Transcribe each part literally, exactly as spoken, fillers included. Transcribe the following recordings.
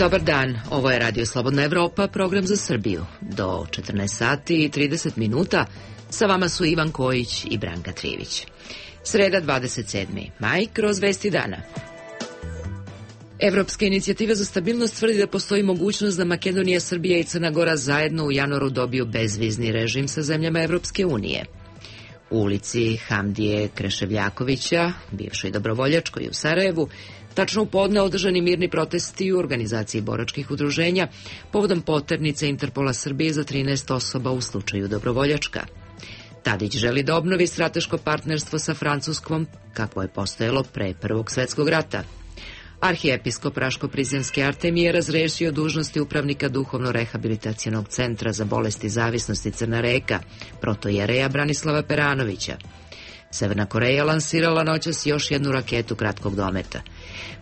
Dobar dan, ovo je Radio Slobodna Evropa, program za Srbiju. Do četrnaest sati i trideset minuta sa vama su Ivan Kojić i Branka Trivić. Sreda dvadeset sedmi maj, kroz vesti dana. Evropska inicijativa za stabilnost tvrdi da postoji mogućnost da Makedonija, Srbija i Crna Gora zajedno u januaru dobiju bezvizni režim sa zemljama Evropske unije. U ulici Hamdije Kreševljakovića, bivšoj dobrovoljačkoj u Sarajevu, tačno u podne održani mirni protesti u organizaciji boračkih udruženja povodom poternice Interpola Srbije za trinaest osoba u slučaju dobrovoljačka. Tadić želi da obnovi strateško partnerstvo sa Francuskom, kakvo je postojalo pre Prvog svetskog rata. Arhijepiskop Raško-Prizrenske Artemije razrešio dužnosti upravnika duhovno-rehabilitacionog centra za bolesti zavisnosti Crna Reka, protojereja Branislava Peranovića. Severna Koreja lansirala noćas još jednu raketu kratkog dometa.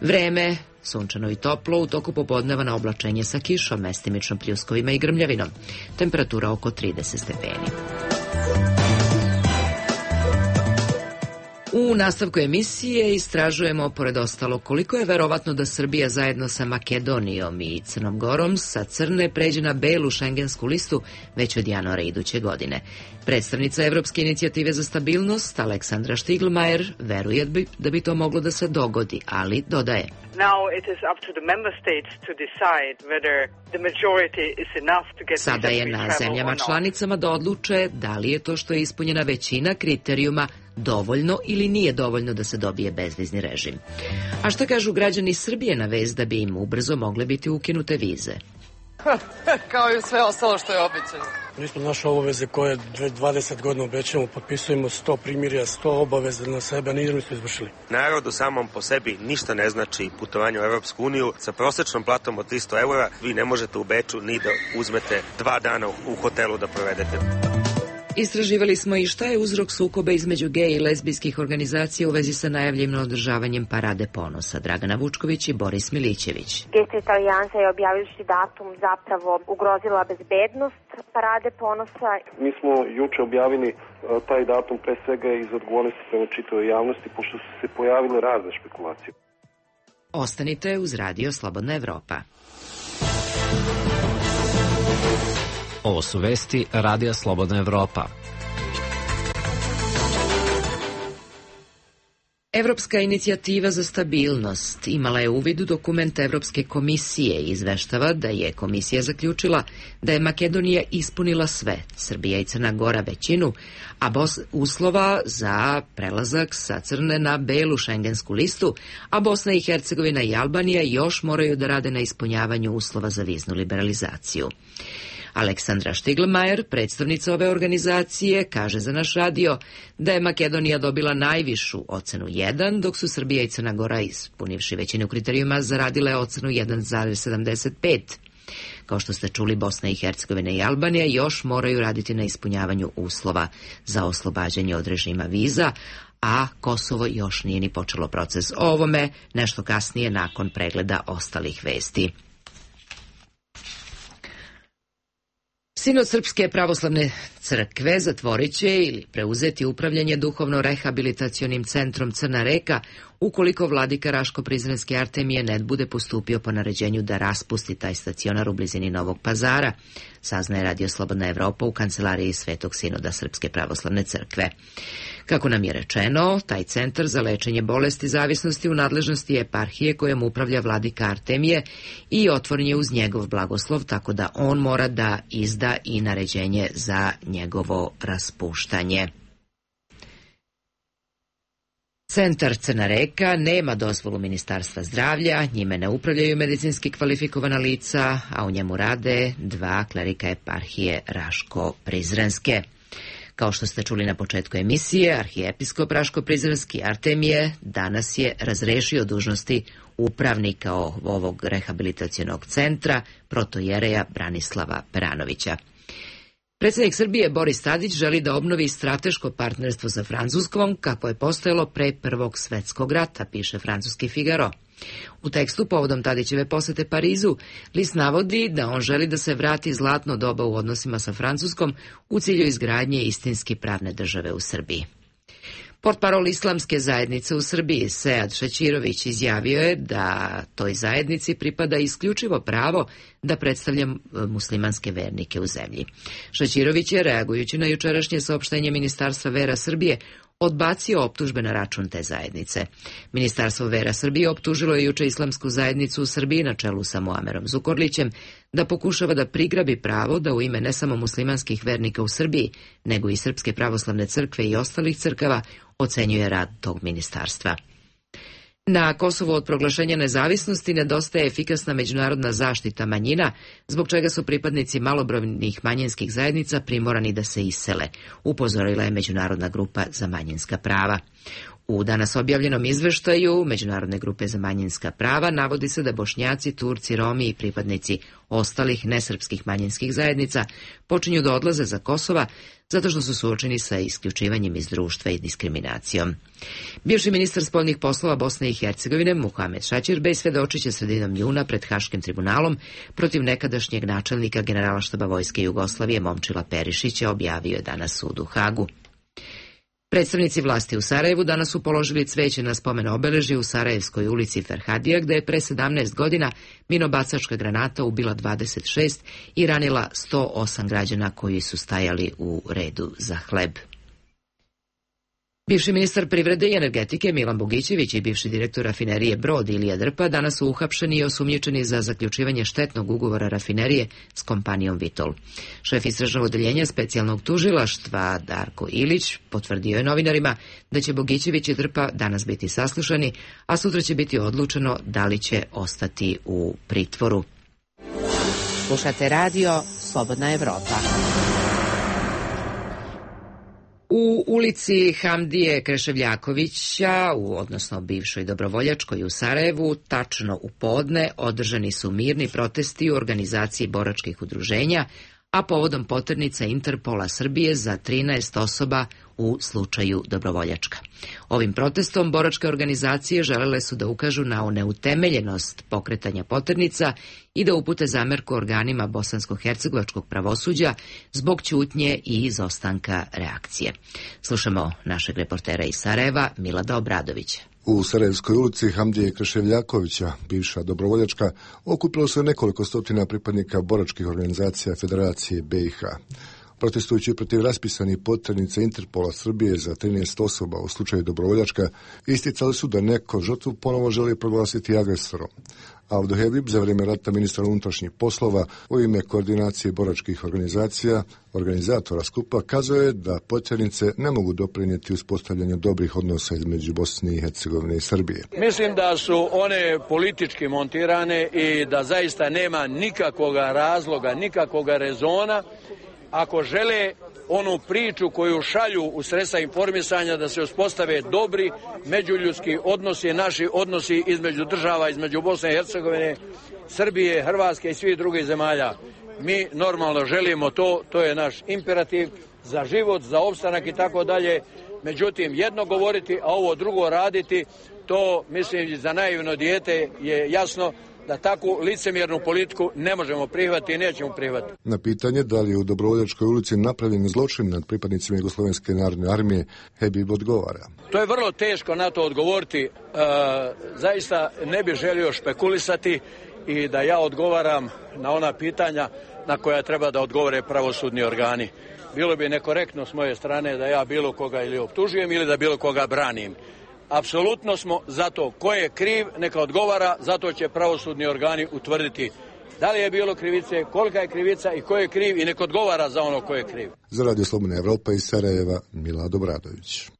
Vreme, sunčano i toplo, u toku popodneva na oblačenje sa kišom, mestimično pljuskovima i grmljavinom. Temperatura oko trideset stepeni. U nastavku emisije istražujemo, pored ostalo, koliko je verovatno da Srbija zajedno sa Makedonijom i Crnom Gorom sa crne pređe na belu šengensku listu već od januara iduće godine. Predstavnica Evropske inicijative za stabilnost, Aleksandra Štiglmajer, veruje da bi to moglo da se dogodi, ali dodaje. Sada je na zemljama članicama da odluče da li je to što je ispunjena većina kriterijuma dovoljno ili nije dovoljno da se dobije bezvizni režim. A šta kažu građani Srbije na vez da bi im ubrzo mogle biti ukinute vize? Kao i sve ostalo što je obećano. Isto naše obaveze koje dvadeset godina obećamo, potpisujemo sto primirja, sto obaveza na sebe, nismo to izvršili. Narodu samom po sebi ništa ne znači putovanje u Evropsku uniju. Sa prosečnom platom od tristo eura vi ne možete u Beču ni da uzmete dva dana u hotelu da provedete. Istraživali smo i šta je uzrok sukoba između gej i lezbijskih organizacija u vezi sa najavljenim održavanjem Parade ponosa. Dragana Vučković i Boris Milićević. Gej alijansa je objavivši datum zapravo ugrozila bezbednost Parade ponosa. Mi smo juče objavili taj datum pre svega iz odgovornosti prema čitavoj javnosti, pošto su se pojavile razne špekulacije. Ostanite uz Radio Slobodna Evropa. Ovo su vesti Radija Slobodna Evropa. Evropska inicijativa za stabilnost imala je uvid u dokument Evropske komisije i izveštava da je komisija zaključila da je Makedonija ispunila sve, Srbija i Crna Gora većinu, a Bos uslova za prelazak sa crne na belu šengensku listu, a Bosna i Hercegovina i Albanija još moraju da rade na ispunjavanju uslova za viznu liberalizaciju. Aleksandra Štiglmajer, predstavnica ove organizacije, kaže za naš radio da je Makedonija dobila najvišu ocenu jedan, dok su Srbija i Crna Gora, ispunivši većinu kriterijuma, zaradile ocenu jedan zarez sedamdeset pet. Kao što ste čuli, Bosna i Hercegovina i Albanija još moraju raditi na ispunjavanju uslova za oslobađanje od režima viza, a Kosovo još nije ni počelo proces o ovome, nešto kasnije nakon pregleda ostalih vesti. Sinod Srpske pravoslavne crkve zatvorit će ili preuzeti upravljanje duhovno-rehabilitacionim centrom Crna Reka ukoliko vladika Raško-Prizrenske Artemije ne bude postupio po naređenju da raspusti taj stacionar u blizini Novog Pazara, saznaje Radio Slobodna Evropa u kancelariji Svetog Sinoda Srpske pravoslavne crkve. Kako nam je rečeno, taj centar za lečenje bolesti zavisnosti u nadležnosti eparhije kojom upravlja vladika Artemije i otvoren je uz njegov blagoslov, tako da on mora da izda i naređenje za njegovo raspuštanje. Centar Crna Reka nema dozvolu Ministarstva zdravlja, njime ne upravljaju medicinski kvalifikovana lica, a u njemu rade dva klerika eparhije Raško-Prizrenske. Kao što ste čuli na početku emisije, arhijepiskop Raško-Prizrenski Artemije danas je razrešio dužnosti upravnika ovog rehabilitacionog centra, protojereja Branislava Peranovića. Predsjednik Srbije Boris Tadić želi da obnovi strateško partnerstvo sa Francuskom kako je postojalo pre Prvog svetskog rata, piše francuski Figaro. U tekstu povodom Tadićeve posete Parizu, list navodi da on želi da se vrati zlatno doba u odnosima sa Francuskom u cilju izgradnje istinski pravne države u Srbiji. Portparol Islamske zajednice u Srbiji, Sead Šećirović, izjavio je da toj zajednici pripada isključivo pravo da predstavlja muslimanske vernike u zemlji. Šećirović je, reagujući na jučerašnje saopštenje Ministarstva vera Srbije, odbacio optužbe na račun te zajednice. Ministarstvo vera Srbije optužilo je juče Islamsku zajednicu u Srbiji na čelu sa Muamerom Zukorlićem da pokušava da prigrabi pravo da u ime ne samo muslimanskih vernika u Srbiji, nego i Srpske pravoslavne crkve i ostalih crkava ocenjuje rad tog ministarstva. Na Kosovu od proglašenja nezavisnosti nedostaje efikasna međunarodna zaštita manjina, zbog čega su pripadnici malobrojnih manjinskih zajednica primorani da se isele, upozorila je Međunarodna grupa za manjinska prava. U danas objavljenom izveštaju Međunarodne grupe za manjinska prava navodi se da Bošnjaci, Turci, Romi i pripadnici ostalih nesrpskih manjinskih zajednica počinju da odlaze za Kosova zato što su suočeni sa isključivanjem iz društva i diskriminacijom. Bivši ministar spoljnih poslova Bosne i Hercegovine Muhamed Šaćirbej svedočit će sredinom juna pred Haškim tribunalom protiv nekadašnjeg načelnika Generalštaba Vojske Jugoslavije Momčila Perišića, objavio je danas sud u Hagu. Predstavnici vlasti u Sarajevu danas su položili cveće na spomen obeležje u Sarajevskoj ulici Ferhadija, gde je pre sedamnaest godina minobacačka granata ubila dvadeset šest i ranila sto osam građana koji su stajali u redu za hleb. Bivši ministar privrede i energetike Milan Bogićević i bivši direktor rafinerije Brod Ilija Drpa danas su uhapšeni i osumnjičeni za zaključivanje štetnog ugovora rafinerije s kompanijom Vitol. Šef istražnog odeljenja specijalnog tužilaštva Darko Ilić potvrdio je novinarima da će Bogićević i Drpa danas biti saslušani, a sutra će biti odlučeno da li će ostati u pritvoru. Slušate radio Slobodna Evropa. U ulici Hamdije Kreševljakovića, u odnosno bivšoj Dobrovoljačkoj u Sarajevu, tačno u podne održani su mirni protesti u organizaciji boračkih udruženja, a povodom poternica Interpola Srbije za trinaest osoba u slučaju Dobrovoljačka. Ovim protestom boračke organizacije želele su da ukažu na neutemeljenost pokretanja poternica i da upute zamerku organima bosansko-hercegovačkog pravosuđa zbog ćutnje i izostanka reakcije. Slušamo našeg reportera iz Sarajeva, Milada Obradovića. U Sarajevskoj ulici Hamdije Kreševljakovića, bivša Dobrovoljačka, okupilo se nekoliko stotina pripadnika boračkih organizacija Federacije B i H. Protestujući protiv raspisanih poternica Interpola Srbije za trinaest osoba u slučaju Dobrovoljačka, isticali su da neko žrtvu ponovo želi proglasiti agresorom. Avdo Hebib, za vrijeme rata ministar unutrašnjih poslova, u ime koordinacije boračkih organizacija, organizatora skupa, kazao je da poternice ne mogu doprinijeti uspostavljanju dobrih odnosa između Bosne i Hercegovine i Srbije. Mislim da su one politički montirane i da zaista nema nikakvog razloga, nikakvog rezona ako žele onu priču koju šalju u sredstva informisanja da se uspostave dobri međuljudski odnosi, naši odnosi između država, između Bosne i Hercegovine, Srbije, Hrvatske i svih drugih zemalja. Mi normalno želimo to, to je naš imperativ za život, za opstanak i tako dalje. Međutim, jedno govoriti, a ovo drugo raditi, to mislim za naivno dijete je jasno da takvu licemjernu politiku ne možemo prihvatiti i nećemo prihvatiti. Na pitanje da li je u Dobrovoljačkoj ulici napravljen zločin nad pripadnicima Jugoslovenske narodne armije, Hebib odgovara. To je vrlo teško na to odgovoriti. E, zaista ne bih želio špekulisati i da ja odgovaram na ona pitanja na koja treba da odgovore pravosudni organi. Bilo bi nekorektno s moje strane da ja bilo koga ili optužujem ili da bilo koga branim. Apsolutno smo za to ko je kriv, neka odgovara, zato će pravosudni organi utvrditi da li je bilo krivice, kolika je krivica i ko je kriv i neka odgovara za ono ko je kriv. Za Radio Slobodna Evropa iz Sarajeva, Milad Obradović.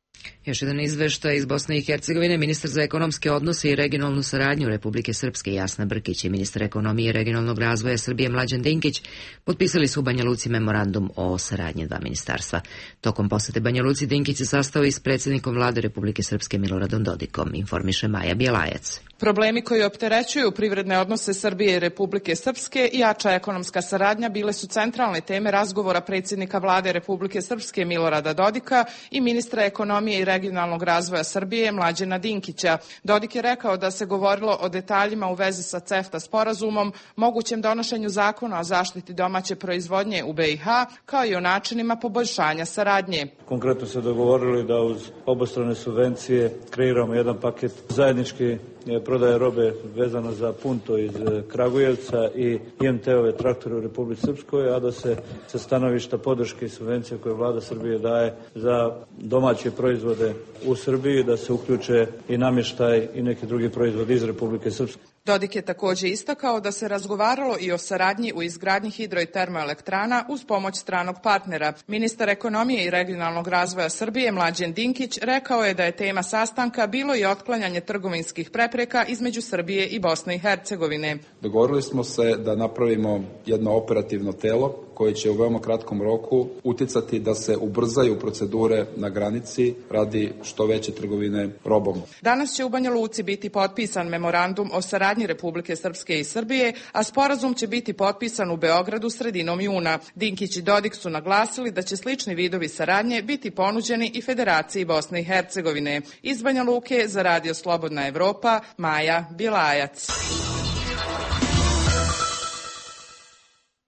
Još jedan izveštaj iz Bosne i Hercegovine. Ministar za ekonomske odnose i regionalnu saradnju Republike Srpske Jasna Brkić i ministar ekonomije i regionalnog razvoja Srbije Mlađan Dinkić potpisali su u Banja Luci memorandum o saradnji dva ministarstva. Tokom posete Banja Luci Dinkić se sastao i s predsjednikom vlade Republike Srpske Miloradom Dodikom, informiše Maja Bjelajac. Problemi koji opterećuju privredne odnose Srbije i Republike Srpske i jača ekonomska saradnja bile su centralne teme razgovora predsjednika vlade Republike Srpske Milorada Dodika i ministra ekonomije i regionalnog regionalnog razvoja Srbije Mlađana Dinkića. Dodik je rekao da se govorilo o detaljima u vezi sa CEFTA sporazumom, mogućem donošenju zakona o zaštiti domaće proizvodnje u B i H, kao i o načinima poboljšanja saradnje. Konkretno se dogovorili da uz obostrane subvencije kreiramo jedan paket zajednički prodaje robe vezano za Punto iz Kragujevca i I M T-ove traktore u Republici Srpskoj, a da se sa stanovišta podrške i subvencije koje vlada Srbije daje za domaće proizvode u Srbiji, da se uključe i namještaj i neki drugi proizvodi iz Republike Srpske. Dodik je također istakao da se razgovaralo i o saradnji u izgradnji hidro i termoelektrana uz pomoć stranog partnera. Ministar ekonomije i regionalnog razvoja Srbije Mlađan Dinkić rekao je da je tema sastanka bilo i otklanjanje trgovinskih prepreka između Srbije i Bosne i Hercegovine. Dogovorili smo se da napravimo jedno operativno telo koje će u veoma kratkom roku uticati da se ubrzaju procedure na granici radi što veće trgovine robom. Danas će u Banja Luci biti potpisan memorandum o saradnji Republike Srpske i Srbije, a sporazum će biti potpisan u Beogradu sredinom juna. Dinkić i Dodik su naglasili da će slični vidovi saradnje biti ponuđeni i Federaciji Bosne i Hercegovine. Iz Banja Luke za Radio Slobodna Evropa, Maja Bilajac.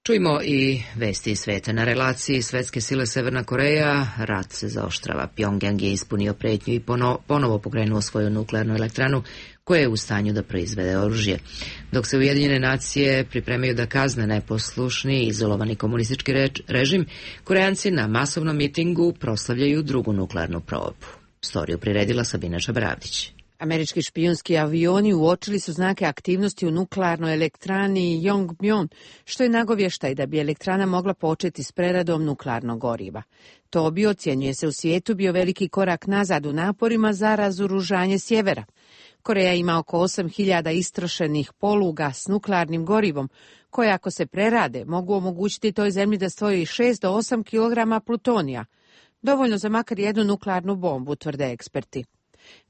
Čujmo i vesti iz sveta. Na relaciji svetske sile Severna Koreja rat se zaoštrava. Pjongjang je ispunio pretnju i pono, ponovo pokrenuo svoju nuklearnu elektranu koja je u stanju da proizvede oružje. Dok se Ujedinjene nacije pripremaju da kazne neposlušni i izolovani komunistički režim, Korejanci na masovnom mitingu proslavljaju drugu nuklearnu probu. Storiju priredila Sabina Čabravdić. Američki špijunski avioni uočili su znake aktivnosti u nuklearnoj elektrani Yongbyon, što je nagovještaj da bi elektrana mogla početi s preradom nuklearnog goriva. To bi, ocjenjuje se u svijetu, bio veliki korak nazad u naporima za razoružanje sjevera. Koreja ima oko osam hiljada istrošenih poluga s nuklearnim gorivom, koje ako se prerade mogu omogućiti toj zemlji da stvori šest do osam kilograma plutonija. Dovoljno za makar jednu nuklearnu bombu, tvrde eksperti.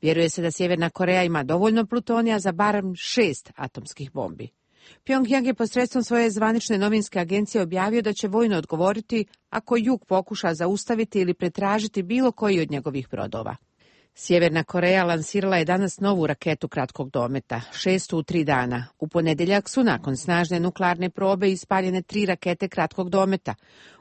Vjeruje se da Sjeverna Koreja ima dovoljno plutonija za barem šest atomskih bombi. Pjongjang je posredstvom svoje zvanične novinske agencije objavio da će vojno odgovoriti ako Jug pokuša zaustaviti ili pretražiti bilo koji od njegovih brodova. Sjeverna Koreja lansirala je danas novu raketu kratkog dometa, šestu u tri dana. U ponedjeljak su nakon snažne nuklearne probe ispaljene tri rakete kratkog dometa.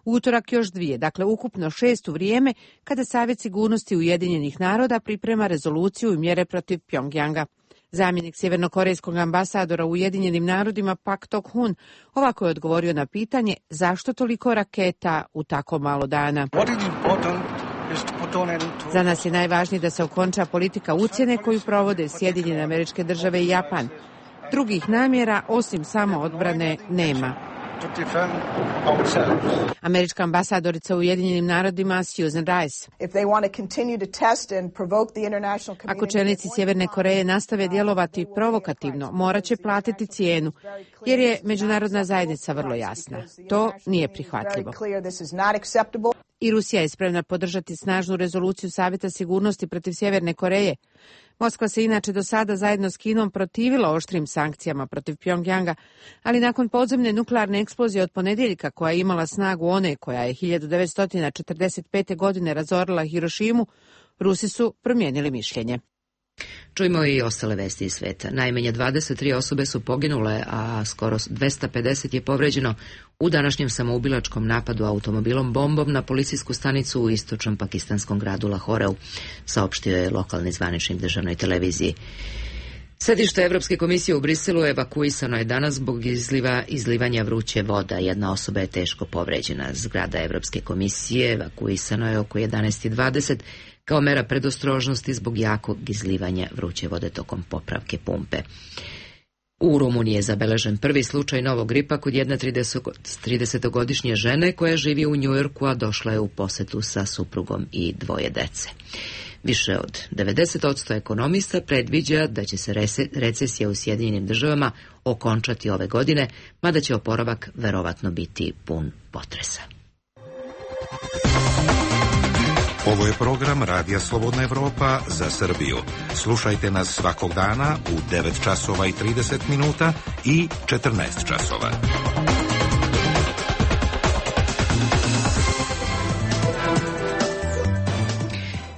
U utorak još dvije, dakle ukupno šest u vrijeme kada Savjet sigurnosti Ujedinjenih naroda priprema rezoluciju i mjere protiv Pjongjanga. Zamjenik sjevernokorejskog ambasadora u Ujedinjenim narodima Pak Tok-hun ovako je odgovorio na pitanje zašto toliko raketa u tako malo dana. Za nas je najvažnije da se okonča politika ucjene koju provode Sjedinjene Američke Države i Japan. Drugih namjera osim samo odbrane nema. Američka ambasadorica u Ujedinjenim narodima Susan Rice. Ako čelnici Sjeverne Koreje nastave djelovati provokativno, morat će platiti cijenu, jer je međunarodna zajednica vrlo jasna. To nije prihvatljivo. I Rusija je spremna podržati snažnu rezoluciju Savjeta sigurnosti protiv Sjeverne Koreje. Moskva se inače do sada zajedno s Kinom protivila oštrim sankcijama protiv Pjongjanga, ali nakon podzemne nuklearne eksplozije od ponedjeljka koja je imala snagu one koja je hiljadu devetsto četrdeset pete. godine razorila Hirošimu, Rusi su promijenili mišljenje. Čujmo i ostale vesti iz sveta. Najmanje dvadeset tri osobe su poginule, a skoro dvesta pedeset je povređeno u današnjem samoubilačkom napadu automobilom bombom na policijsku stanicu u istočnom pakistanskom gradu Lahoreu, saopštio je lokalni zvaničnik državnoj televiziji. Sedište Evropske komisije u Briselu evakuisano je danas zbog izliva, izlivanja vruće voda. Jedna osoba je teško povređena. Zgrada Evropske komisije evakuisano je oko jedanaest i dvadeset kao mera predostrožnosti zbog jakog izlivanja vruće vode tokom popravke pumpe. U Rumuniji je zabeležen prvi slučaj novog gripa kod jedne tridesetogodišnje žene koja živi u Njujorku, a došla je u posetu sa suprugom i dvoje dece. Više od devedeset posto ekonomista predviđa da će se recesija u Sjedinjenim državama okončati ove godine, mada će oporavak verovatno biti pun potresa. Ovo je program Radija Slobodna Evropa za Srbiju. Slušajte nas svakog dana u devet časova i trideset minuta i četrnaest časova.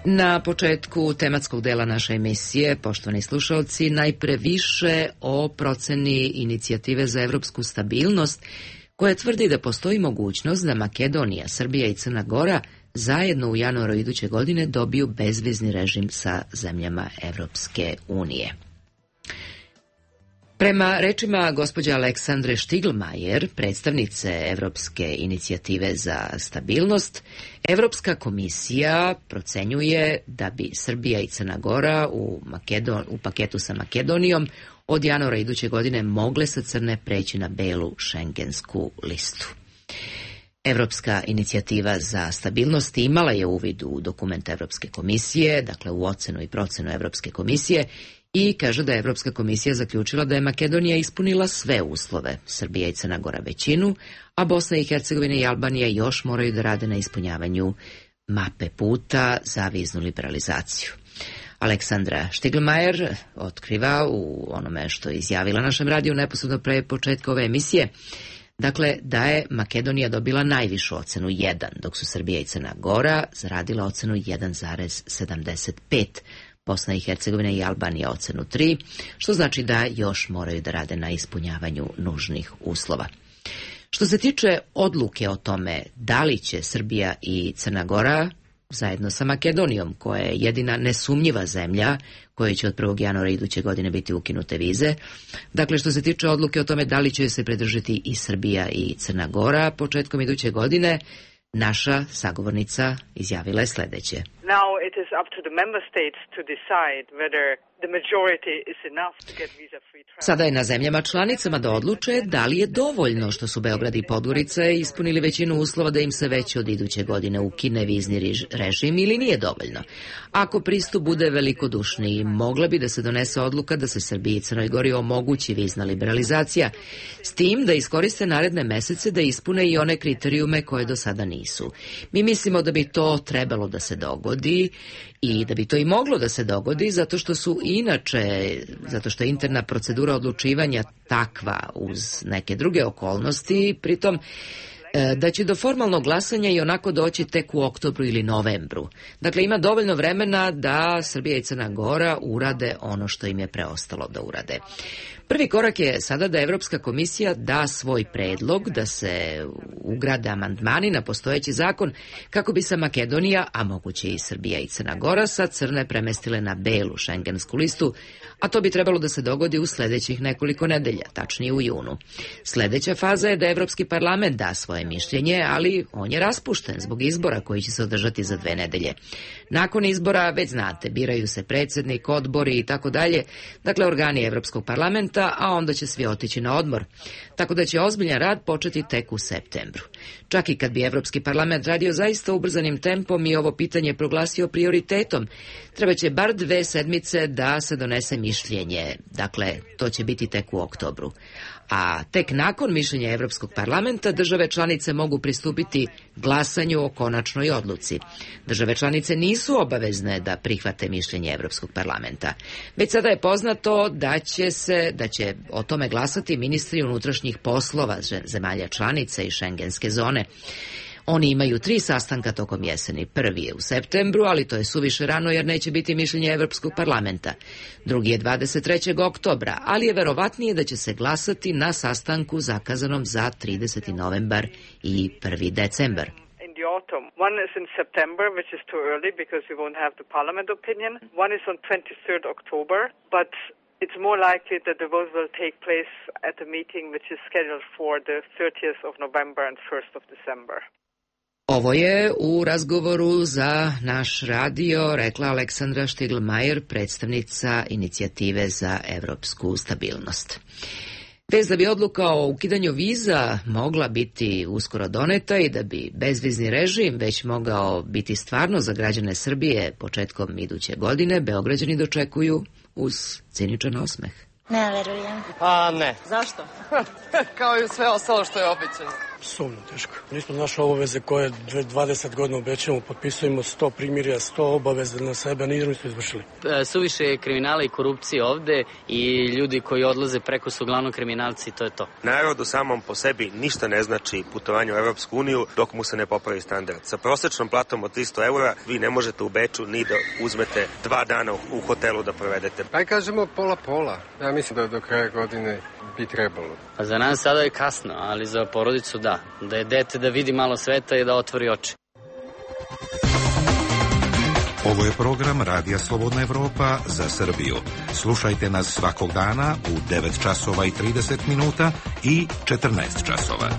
Na početku tematskog dela naše emisije, poštovani slušalci, najpre više o proceni inicijative za evropsku stabilnost, koja tvrdi da postoji mogućnost da Makedonija, Srbija i Crna Gora zajedno u januaru iduće godine dobiju bezvizni režim sa zemljama Evropske unije. Prema rečima gospođe Aleksandre Štiglmajer, predstavnice Evropske inicijative za stabilnost, Evropska komisija procenjuje da bi Srbija i Crna Gora u, Makedon, u paketu sa Makedonijom od januara iduće godine mogle sa crne preći na belu šengensku listu. Evropska inicijativa za stabilnost imala je uvid u dokument Evropske komisije, dakle u ocenu i procenu Evropske komisije, i kaže da je Evropska komisija zaključila da je Makedonija ispunila sve uslove, Srbija i Crna Gora većinu, a Bosna i Hercegovina i Albanija još moraju da rade na ispunjavanju mape puta za viznu liberalizaciju. Aleksandra Štiglmajer otkriva u onome što je izjavila našem radiju neposredno pre početka ove emisije, dakle da je Makedonija dobila najvišu ocenu jedan, dok su Srbija i Crna Gora zaradila ocenu jedan zarez sedamdeset pet, Bosna i Hercegovina i Albanija ocenu tri, što znači da još moraju da rade na ispunjavanju nužnih uslova. Što se tiče odluke o tome da li će Srbija i Crna Gora zajedno sa Makedonijom, koja je jedina nesumnjiva zemlja kojoj će od prvog januara iduće godine biti ukinute vize, dakle što se tiče odluke o tome da li će se pridržati i Srbija i Crna Gora početkom iduće godine, naša sagovornica izjavila je sledeće. Now it is up to the member states to decide whether the majority is enough to get visa free travel. Sada je na zemljama članicama da odluče da li je dovoljno što su Beograd i Podgorica ispunili većinu uslova da im se već od iduće godine ukine vizni režim ili nije dovoljno. Ako pristup bude velikodušniji, mogla bi da se donese odluka da se Srbiji i Crnoj Gori omogući vizna liberalizacija, s tim da iskoriste naredne mesece da ispune i one kriterijume koje do sada nisu. Mi mislimo da bi to trebalo da se dogodi i da bi to i moglo da se dogodi zato što su inače, zato što je interna procedura odlučivanja takva uz neke druge okolnosti, pritom da će do formalnog glasanja i onako doći tek u oktobru ili novembru. Dakle, ima dovoljno vremena da Srbija i Crna Gora urade ono što im je preostalo da urade. Prvi korak je sada da Evropska komisija da svoj predlog da se ugrade amandmani na postojeći zakon kako bi se Makedonija, a moguće i Srbija i Crna Gora, sa crne premestile na belu šengensku listu, a to bi trebalo da se dogodi u sledećih nekoliko nedelja, tačnije u junu. Sledeća faza je da Evropski parlament da svoje mišljenje, ali on je raspušten zbog izbora koji će se održati za dve nedelje. Nakon izbora, već znate, biraju se predsednik, odbori i tako dalje, dakle organi Evropskog parlamenta, a onda će svi otići na odmor. Tako da će ozbiljan rad početi tek u septembru. Čak i kad bi Evropski parlament radio zaista ubrzanim tempom i ovo pitanje proglasio prioritetom, treba će bar dve sedmice da se donese mišljenje. Dakle, to će biti tek u oktobru. A tek nakon mišljenja Evropskog parlamenta države članice mogu pristupiti glasanju o konačnoj odluci. Države članice nisu obavezne da prihvate mišljenje Evropskog parlamenta. Već sada je poznato da će se, da će o tome glasati ministri unutrašnjih poslova zemalja članica i šengenske zone. Oni imaju tri sastanka tokom jeseni. Prvi je u septembru, ali to je suviše rano jer neće biti mišljenje Evropskog parlamenta. Drugi je dvadeset trećeg oktobra, ali je verovatnije da će se glasati na sastanku zakazanom za trideseti novembar i prvi decembar. Autumn. One is in September, which is too early because we won't have the parliament opinion. One is on twenty-third October, but it's more likely that the vote will take place at a meeting which is scheduled for the thirtieth of November and first of December. Ovo je u razgovoru za naš radio rekla Aleksandra Štiglmajer, predstavnica inicijative za evropsku stabilnost. Vez da bi odluka o ukidanju viza mogla biti uskoro doneta i da bi bezvizni režim već mogao biti stvarno za građane Srbije početkom iduće godine, Beograđani dočekuju uz ciničan osmeh. Ne verujem. A ne. Zašto? Kao i sve ostalo što je običajno. Sumno teško. Nismo naše obaveze koje dvadeset godina obećamo, potpisujemo sto primirja, sto obaveza na sebe, nismo izvršili. Suviše je kriminala i korupcije ovde i ljudi koji odlaze preko su uglavnom kriminalci, to je to. Narodu samom po sebi ništa ne znači putovanje u Evropsku uniju dok mu se ne popravi standard. Sa prosečnom platom od tristo eura vi ne možete u Beču ni da uzmete dva dana u hotelu da provedete. Aj kažemo pola-pola. Ja mislim da do kraja godine bi trebalo. Pa za nas sada je kasno, ali za porodicu da. Da je dete da vidi malo sveta i da otvori oči. Ovo je program Radija Slobodna Evropa za Srbiju. Slušajte nas svakog dana u devet časova i trideset minuta i četrnaest časova.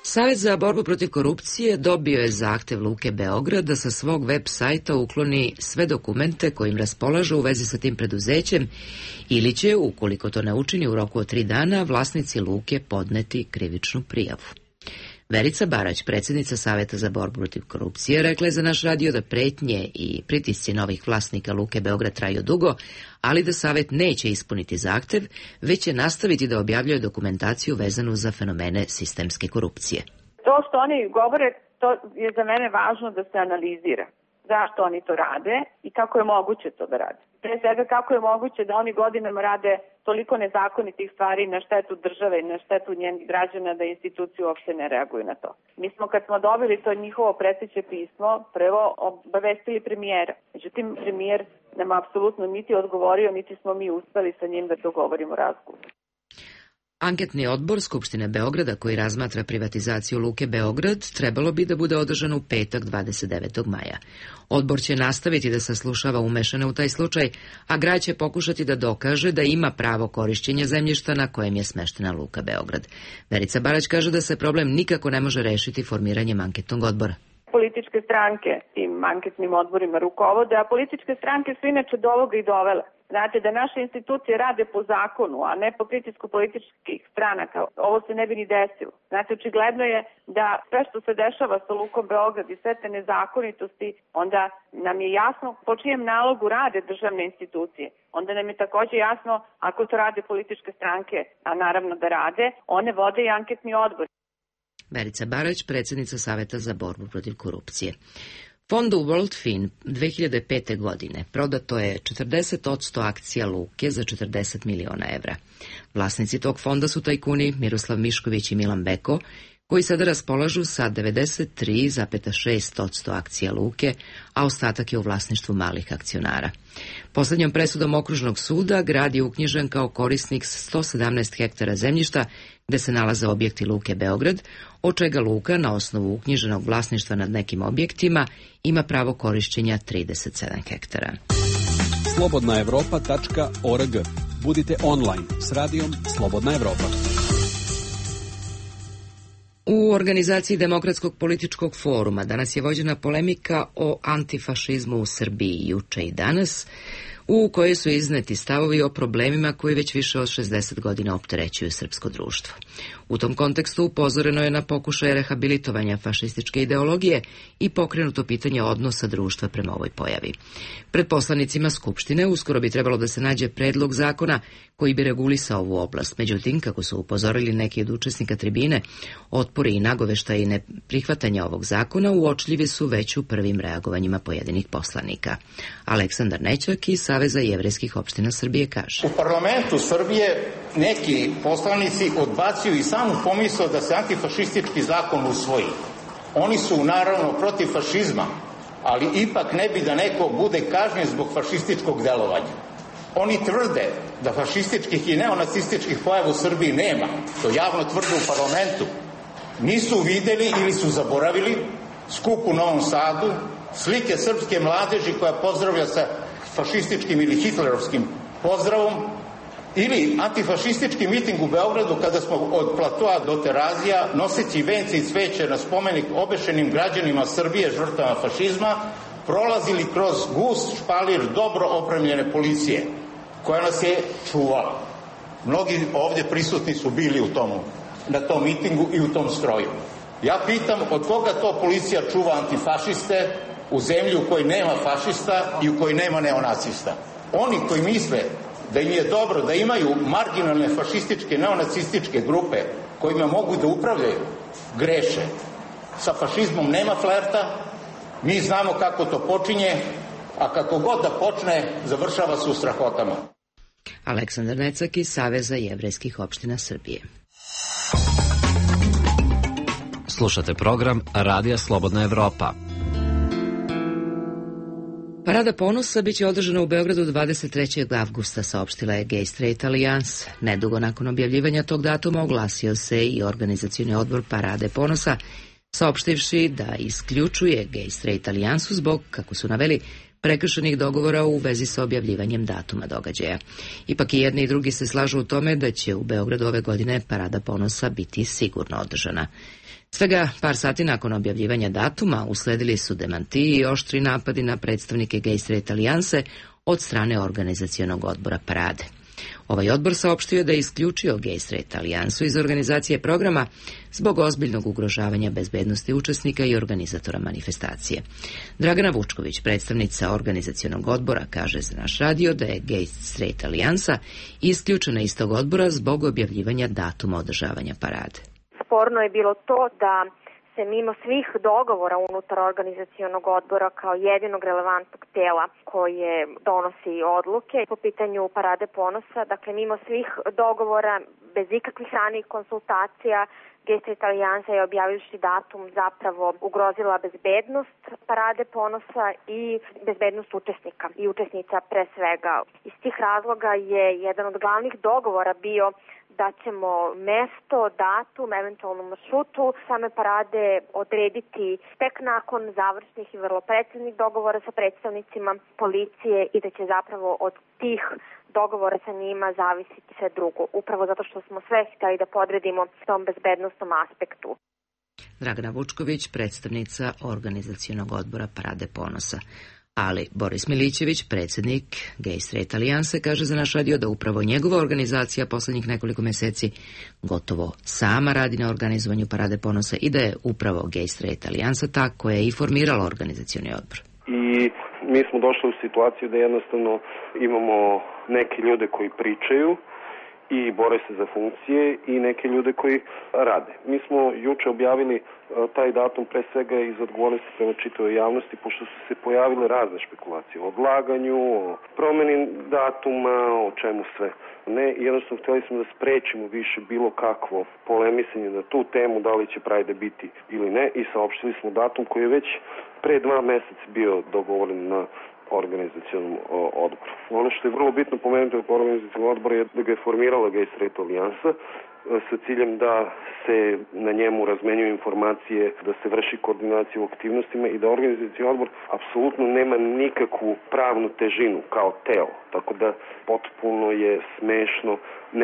Savet za borbu protiv korupcije dobio je zahtev Luke Beograd da sa svog web sajta ukloni sve dokumente kojim raspolažu u vezi sa tim preduzećem ili će, ukoliko to ne učini u roku od tri dana, vlasnici Luke podneti krivičnu prijavu. Verica Barać, predsjednica Saveta za borbu protiv korupcije, rekla je za naš radio da pretnje i pritisci novih vlasnika Luke Beograd traju dugo, ali da Savet neće ispuniti zahtev, već će nastaviti da objavljuje dokumentaciju vezanu za fenomene sistemske korupcije. To što oni govore, to je za mene važno da se analizira. Zašto oni to rade i kako je moguće to da rade. Pre svega kako je moguće da oni godinama rade toliko nezakonitih stvari na štetu države i na štetu njenih građana da institucije uopšte ne reaguju na to. Mi smo kad smo dobili to njihovo preteće pismo prvo obavestili premijera. Međutim, premijer nam apsolutno niti odgovorio, niti smo mi uspeli sa njim da dogovorimo razgovor. Anketni odbor Skupštine Beograda koji razmatra privatizaciju Luke Beograd trebalo bi da bude održan u petak dvadeset devetog maja. Odbor će nastaviti da saslušava umešane u taj slučaj, a grad će pokušati da dokaže da ima pravo korišćenja zemljišta na kojem je smeštena Luka Beograd. Verica Barać kaže da se problem nikako ne može rešiti formiranjem anketnog odbora. Političke stranke tim anketnim odborima rukovode, a političke stranke su inače do ovoga i dovele. Znate, da naše institucije rade po zakonu, a ne po pritisku političkih stranaka, ovo se ne bi ni desilo. Znate, očigledno je da sve što se dešava sa Lukom Beograd i sve te nezakonitosti, onda nam je jasno po čijem nalogu rade državne institucije. Onda nam je takođe jasno, ako to rade političke stranke, a naravno da rade, one vode i anketni odbor. Verica Barać, predsjednica Saveta za borbu protiv korupcije. Fondu WorldFin dve hiljade pete. godine prodato je četrdeset posto akcija Luke za četrdeset miliona evra. Vlasnici tog fonda su tajkuni Miroslav Mišković i Milan Beko, koji sada raspolažu sa devedeset tri zarez šest posto akcija Luke, a ostatak je u vlasništvu malih akcionara. Poslednjom presudom okružnog suda grad je uknjižen kao korisnik sto sedamnaest hektara zemljišta gde se nalaze objekti Luke Beograd, od čega Luka na osnovu uknjiženog vlasništva nad nekim objektima ima pravo korišćenja trideset sedam hektara. slobodna evropa tačka org. Budite online s radijom Slobodna Evropa. U organizaciji Demokratskog političkog foruma danas je vođena polemika o antifašizmu u Srbiji juče i danas, u kojoj su izneti stavovi o problemima koji već više od šezdeset godina opterećuju srpsko društvo. U tom kontekstu upozoreno je na pokušaje rehabilitovanja fašističke ideologije i pokrenuto pitanje odnosa društva prema ovoj pojavi. Pred poslanicima Skupštine uskoro bi trebalo da se nađe predlog zakona koji bi regulisao ovu oblast. Međutim, kako su upozorili neki od učesnika tribine, otpori i nagoveštaji neprihvatanja ovog zakona uočljivi su već u prvim reagovanjima pojedinih poslanika. Aleksandar Nećak iz Saveza jevrejskih opština Srbije kaže: U parlamentu Srbije neki poslanici odbacuju i samu pomisao da se antifašistički zakon usvoji. Oni su naravno protiv fašizma, ali ipak ne bi da neko bude kažnjen zbog fašističkog delovanja. Oni tvrde da fašističkih i neonacističkih pojava u Srbiji nema. To javno tvrde u parlamentu. Nisu videli ili su zaboravili skup u Novom Sadu, slike srpske mladeži koja pozdravlja sa fašističkim ili hitlerovskim pozdravom, ili antifašistički miting u Beogradu kada smo od Platoa do Terazija noseći vence i cveće na spomenik obešenim građanima Srbije žrtvama fašizma prolazili kroz gust špalir dobro opremljene policije koja nas je čuvala. Mnogi ovdje prisutni su bili u tomu, na tom mitingu i u tom stroju. Ja pitam od koga to policija čuva antifašiste u zemlji u kojoj nema fašista i u kojoj nema neonacista. Oni koji misle da im je dobro, da imaju marginalne fašističke, neonacističke grupe kojima mogu da upravljaju, greše. Sa fašizmom nema flerta, mi znamo kako to počinje, a kako god da počne, završava se u strahotama. Aleksandar Necak iz Saveza jevrejskih opština Srbije. Slušate program Radija Slobodna Evropa. Parada ponosa biće održana u Beogradu dvadeset trećeg avgusta, saopštila je Gay Straight Alliance. Nedugo nakon objavljivanja tog datuma oglasio se i organizacioni odbor Parade ponosa, saopštivši da isključuje Gay Straight Alliance zbog, kako su naveli, prekršenih dogovora u vezi sa objavljivanjem datuma događaja. Ipak i jedni i drugi se slažu u tome da će u Beogradu ove godine Parada ponosa biti sigurno održana. Svega par sati nakon objavljivanja datuma usledili su demantiji i oštri napadi na predstavnike Gay Straight Alliance od strane organizacionog odbora Parade. Ovaj odbor saopštio da je isključio Gay Straight Alliance iz organizacije programa zbog ozbiljnog ugrožavanja bezbednosti učesnika i organizatora manifestacije. Dragana Vučković, predstavnica organizacionog odbora, kaže za naš radio da je Gay Straight Alliance isključena iz tog odbora zbog objavljivanja datuma održavanja parade. Sporno je bilo to da se mimo svih dogovora unutar organizacionog odbora kao jedinog relevantnog tela koje donosi odluke po pitanju Parade ponosa, dakle mimo svih dogovora, bez ikakvih ranijih konsultacija, Gay Straight Alliance je objavivši datum zapravo ugrozila bezbednost Parade ponosa i bezbednost učesnika i učesnica pre svega. Iz tih razloga je jedan od glavnih dogovora bio da ćemo mesto, datum, eventualno maršrutu same parade odrediti tek nakon završnih i vrlo preciznih dogovora sa predstavnicima policije i da će zapravo od tih dogovora sa njima zavisiti sve drugo. Upravo zato što smo sve htjeli da podredimo tom bezbednostnom aspektu. Dragana Vučković, predstavnica organizacionog odbora Parade ponosa. Ali Boris Milićević, predsjednik Gay Straight Alliance, kaže za naš radio da upravo njegova organizacija poslednjih nekoliko meseci gotovo sama radi na organizovanju Parade ponosa i da je upravo Gay Straight Alliance ta koja je i formirala organizacioni odbor. I mi smo došli u situaciju da jednostavno imamo neke ljude koji pričaju i bore se za funkcije i neke ljude koji rade. Mi smo juče objavili taj datum pre svega iz odgovornosti prema čitavoj javnosti, pošto su se pojavile razne špekulacije o odlaganju, o promeni datuma, o čemu sve. Ne, jednostavno htjeli smo da sprečimo više bilo kakvo polemisanje na tu temu, da li će Pride biti ili ne, i saopštili smo datum koji je već pre dva meseca bio dogovoren na organizacionom odboru. Ono što je vrlo bitno pomenuti od organizacionog odbora je da ga je formirala Gay Straight Alliance sa ciljem da se na njemu razmenjuju informacije, da se vrši koordinacija u aktivnostima i da organizacioni odbor apsolutno nema nikakvu pravnu težinu kao telo. Tako da potpuno je smešno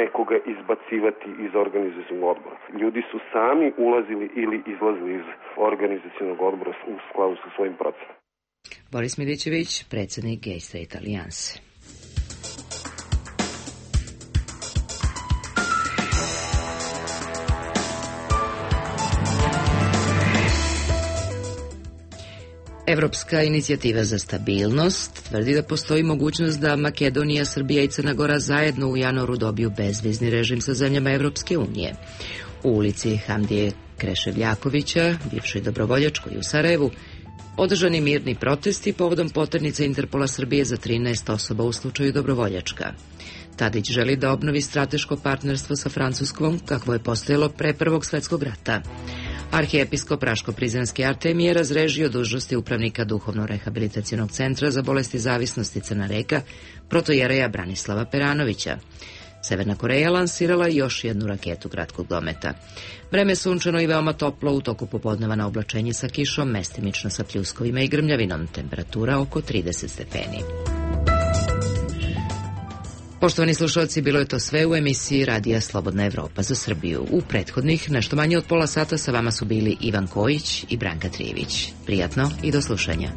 nekoga izbacivati iz organizacionog odbora. Ljudi su sami ulazili ili izlazili iz organizacionog odbora u skladu sa svojim procenom. Boris Milićević, predsjednik Gay Straight Alliance. Evropska inicijativa za stabilnost tvrdi da postoji mogućnost da Makedonija, Srbija i Crna Gora zajedno u januaru dobiju bezvizni režim sa zemljama Evropske unije. U ulici Hamdije Kreševljakovića, bivšoj dobrovoljačkoj u Sarajevu, održani mirni protesti povodom poternice Interpola Srbije za trinaest osoba u slučaju dobrovoljačka. Tadić želi da obnovi strateško partnerstvo sa Francuskom, kakvo je postojalo pre Prvog svetskog rata. Arhijepiskop Raško-Prizrenski Artemije je razrežio dužnosti upravnika Duhovno-rehabilitacionog centra za bolesti zavisnosti Crna Reka, protojereja Branislava Peranovića. Severna Koreja lansirala još jednu raketu kratkog dometa. Vreme sunčano i veoma toplo, u toku popodneva na oblačenje sa kišom, mestimično sa pljuskovima i grmljavinom, temperatura oko trideset stepeni. Poštovani slušalci, bilo je to sve u emisiji Radija Slobodna Evropa za Srbiju. U prethodnih nešto manje od pola sata sa vama su bili Ivan Kojić i Branka Trijević. Prijatno i do slušanja.